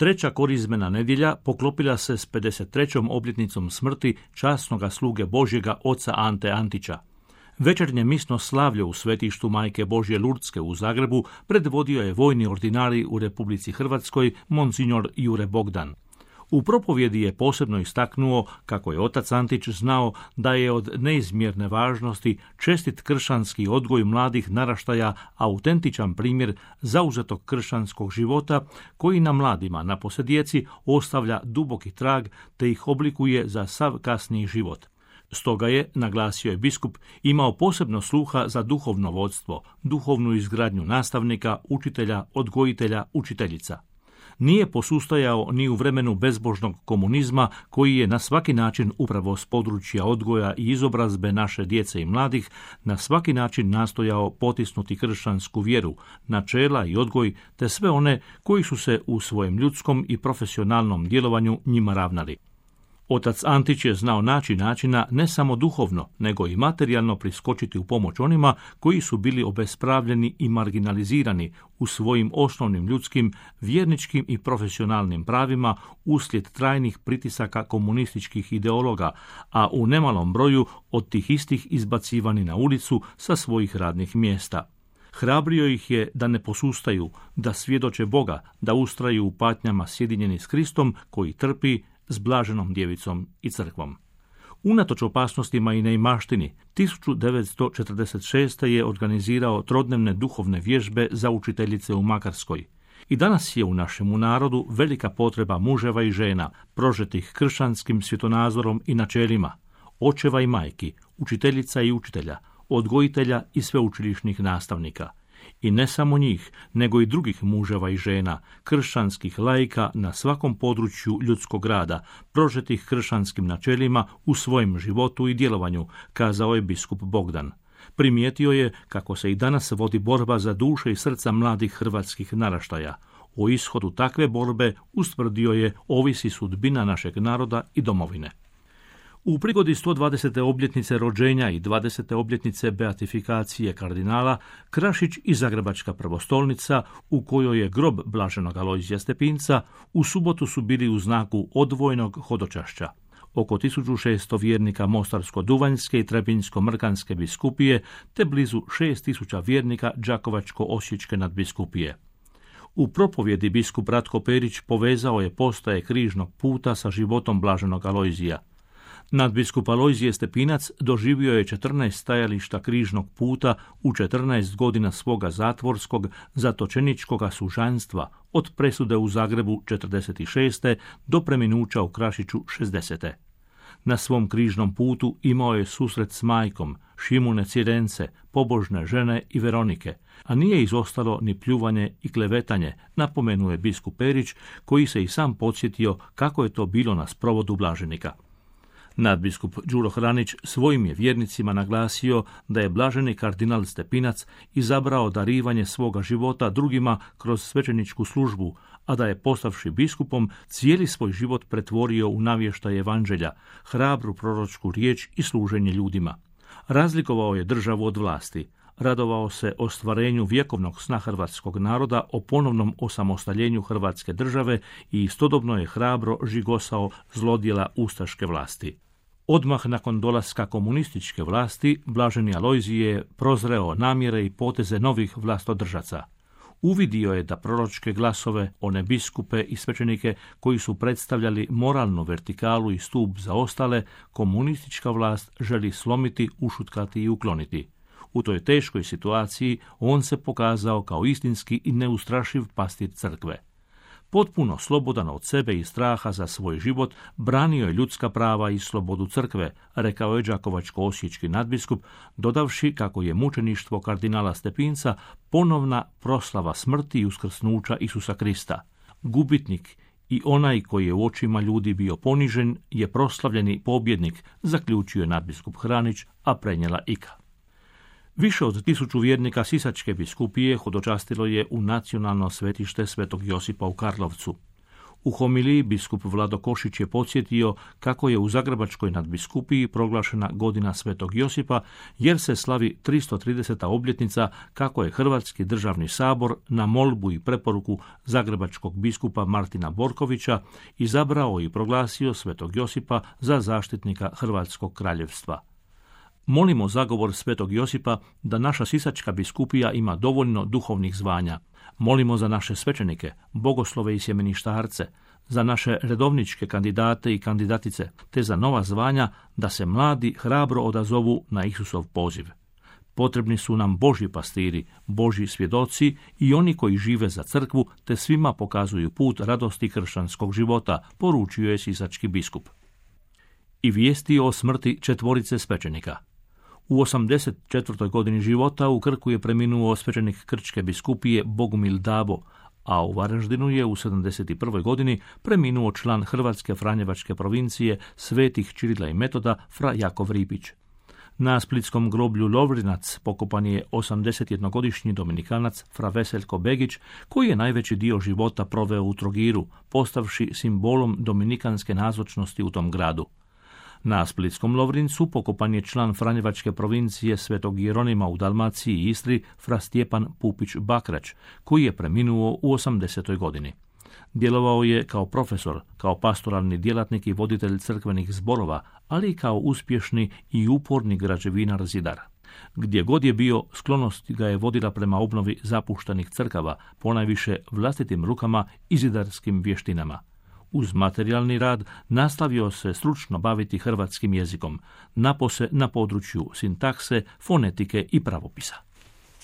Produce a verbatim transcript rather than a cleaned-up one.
Treća korizmena nedjelja poklopila se s pedeset trećom obljetnicom smrti časnoga sluge Božjega oca Ante Antića. Večernje misno slavlje u svetištu Majke Božje Lurdske u Zagrebu predvodio je vojni ordinarij u Republici Hrvatskoj Monsignor Jure Bogdan. U propovjedi je posebno istaknuo kako je otac Antić znao da je od neizmjerne važnosti čestit kršćanski odgoj mladih naraštaja autentičan primjer zauzetog kršćanskog života koji na mladima, napose djeci, ostavlja duboki trag te ih oblikuje za sav kasniji život. Stoga je, naglasio je biskup, imao posebno sluha za duhovno vodstvo, duhovnu izgradnju nastavnika, učitelja, odgojitelja, učiteljica. Nije posustajao ni u vremenu bezbožnog komunizma koji je na svaki način upravo s područja odgoja i izobrazbe naše djece i mladih na svaki način nastojao potisnuti kršćansku vjeru, načela i odgoj te sve one koji su se u svojem ljudskom i profesionalnom djelovanju njima ravnali. Otac Antić je znao naći načina ne samo duhovno, nego i materijalno priskočiti u pomoć onima koji su bili obespravljeni i marginalizirani u svojim osnovnim ljudskim, vjerničkim i profesionalnim pravima uslijed trajnih pritisaka komunističkih ideologa, a u nemalom broju od tih istih izbacivani na ulicu sa svojih radnih mjesta. Hrabrio ih je da ne posustaju, da svjedoče Boga, da ustraju u patnjama sjedinjeni s Kristom koji trpi s blaženom djevicom i crkvom. Unatoč opasnostima i neimaštini, tisuću devetsto četrdeset šeste. je organizirao trodnevne duhovne vježbe za učiteljice u Makarskoj. I danas je u našemu narodu velika potreba muževa i žena, prožetih kršćanskim svjetonazorom i načelima, očeva i majki, učiteljica i učitelja, odgojitelja i sveučilišnih nastavnika. I ne samo njih, nego i drugih muževa i žena, kršćanskih laika na svakom području ljudskog rada, prožetih kršćanskim načelima u svojem životu i djelovanju, kazao je biskup Bogdan. Primijetio je kako se i danas vodi borba za duše i srca mladih hrvatskih naraštaja. O ishodu takve borbe, ustvrdio je, ovisi sudbina našeg naroda i domovine. U prigodi sto dvadesete obljetnice rođenja i dvadesete obljetnice beatifikacije kardinala, Krašić i Zagrebačka prvostolnica, u kojoj je grob blaženog Alojzija Stepinca, u subotu su bili u znaku odvojnog hodočašća. Oko tisuću šesto vjernika Mostarsko-Duvanjske i Trebinjsko-Mrkanske biskupije, te blizu šest tisuća vjernika Đakovačko-Osječke nadbiskupije. U propovjedi biskup Ratko Perić povezao je postaje križnog puta sa životom blaženog Alojzija. Nadbiskup Alojzije Stepinac doživio je četrnaest stajališta križnog puta u četrnaest godina svoga zatvorskog, zatočeničkoga sužanstva, od presude u Zagrebu četrdeset šeste. do preminuća u Krašiću šezdesete. Na svom križnom putu imao je susret s majkom, Šimune Cirence, pobožne žene i Veronike, a nije izostalo ni pljuvanje i klevetanje, napomenuje biskup Perić, koji se i sam podsjetio kako je to bilo na sprovodu blaženika. Nadbiskup Đuro Hranić svojim je vjernicima naglasio da je blaženi kardinal Stepinac izabrao darivanje svoga života drugima kroz svećeničku službu, a da je postavši biskupom cijeli svoj život pretvorio u navještaj evanđelja, hrabru proročku riječ i služenje ljudima. Razlikovao je državu od vlasti, radovao se ostvarenju vjekovnog sna hrvatskog naroda o ponovnom osamostaljenju Hrvatske države i istodobno je hrabro žigosao zlodjela ustaške vlasti. Odmah nakon dolaska komunističke vlasti, blaženi Alojzije je prozreo namjere i poteze novih vlastodržaca. Uvidio je da proročke glasove, one biskupe i svećenike koji su predstavljali moralnu vertikalu i stup za ostale, komunistička vlast želi slomiti, ušutkati i ukloniti. U toj teškoj situaciji on se pokazao kao istinski i neustrašiv pastir crkve. Potpuno slobodan od sebe i straha za svoj život, branio je ljudska prava i slobodu crkve, rekao je đakovačko-osječki nadbiskup, dodavši kako je mučeništvo kardinala Stepinca ponovna proslava smrti i uskrsnuća Isusa Krista. Gubitnik i onaj koji je u očima ljudi bio ponižen je proslavljeni pobjednik, zaključio je nadbiskup Hranić, a prenijela Ika. Više od tisuću vjernika Sisačke biskupije hodočastilo je u nacionalno svetište Svetog Josipa u Karlovcu. U homiliji biskup Vlado Košić je podsjetio kako je u Zagrebačkoj nadbiskupiji proglašena godina Svetog Josipa, jer se slavi tristo trideseta obljetnica kako je Hrvatski državni sabor na molbu i preporuku zagrebačkog biskupa Martina Borkovića izabrao i proglasio Svetog Josipa za zaštitnika Hrvatskog kraljevstva. Molimo zagovor Svetog Josipa da naša sisačka biskupija ima dovoljno duhovnih zvanja. Molimo za naše svećenike, bogoslove i sjemeništarce, za naše redovničke kandidate i kandidatice, te za nova zvanja da se mladi hrabro odazovu na Isusov poziv. Potrebni su nam Božji pastiri, Božji svjedoci i oni koji žive za crkvu, te svima pokazuju put radosti kršćanskog života, poručio je sisački biskup. I vijesti o smrti četvorice svećenika. U osamdeset četvrtoj godini života u Krku je preminuo svećenik Krčke biskupije Bogumil Dabo, a u Varaždinu je u sedamdeset prvoj godini preminuo član Hrvatske franjevačke provincije svetih Čirila i Metoda fra Jakov Ripić. Na splitskom groblju Lovrinac pokopan je osamdesetjednogodišnji dominikanac fra Veseljko Begić, koji je najveći dio života proveo u Trogiru, postavši simbolom dominikanske nazočnosti u tom gradu. Na splitskom Lovrincu pokopan je član franjevačke provincije Svetog Jeronima u Dalmaciji i Istri fra Stjepan Pupić Bakrać, koji je preminuo u osamdesetoj godini. Djelovao je kao profesor, kao pastoralni djelatnik i voditelj crkvenih zborova, ali i kao uspješni i uporni građevinar zidar. Gdje god je bio, sklonost ga je vodila prema obnovi zapuštenih crkava, ponajviše vlastitim rukama i zidarskim vještinama. Uz materijalni rad nastavio se stručno baviti hrvatskim jezikom, napose na području sintakse, fonetike i pravopisa.